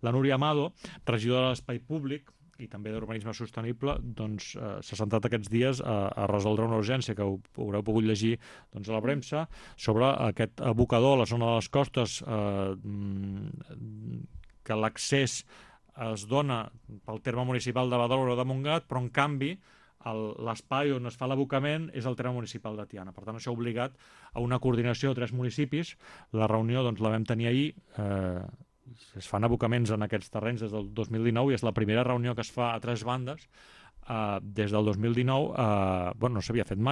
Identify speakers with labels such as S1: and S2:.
S1: La Núria Amado, regidora de l'Espai Públic i també d'Urbanisme Sostenible, doncs, s'ha centrat aquests dies a resoldre una urgència que haureu pogut llegir doncs, a la premsa sobre aquest abocador a la zona de les costes, que l'accés es dona pel terme municipal de Badalona o de Montgat, però en canvi l'espai on es fa l'abocament és el terme municipal de Tiana. Per tant, això ha obligat a una coordinació de 3 municipis. La reunió doncs, la vam tenir ahir. Es fan abocaments en aquests terrenys des del 2019 i és la primera reunió que es fa a 3 bandes des del 2019. No s'havia fet mai.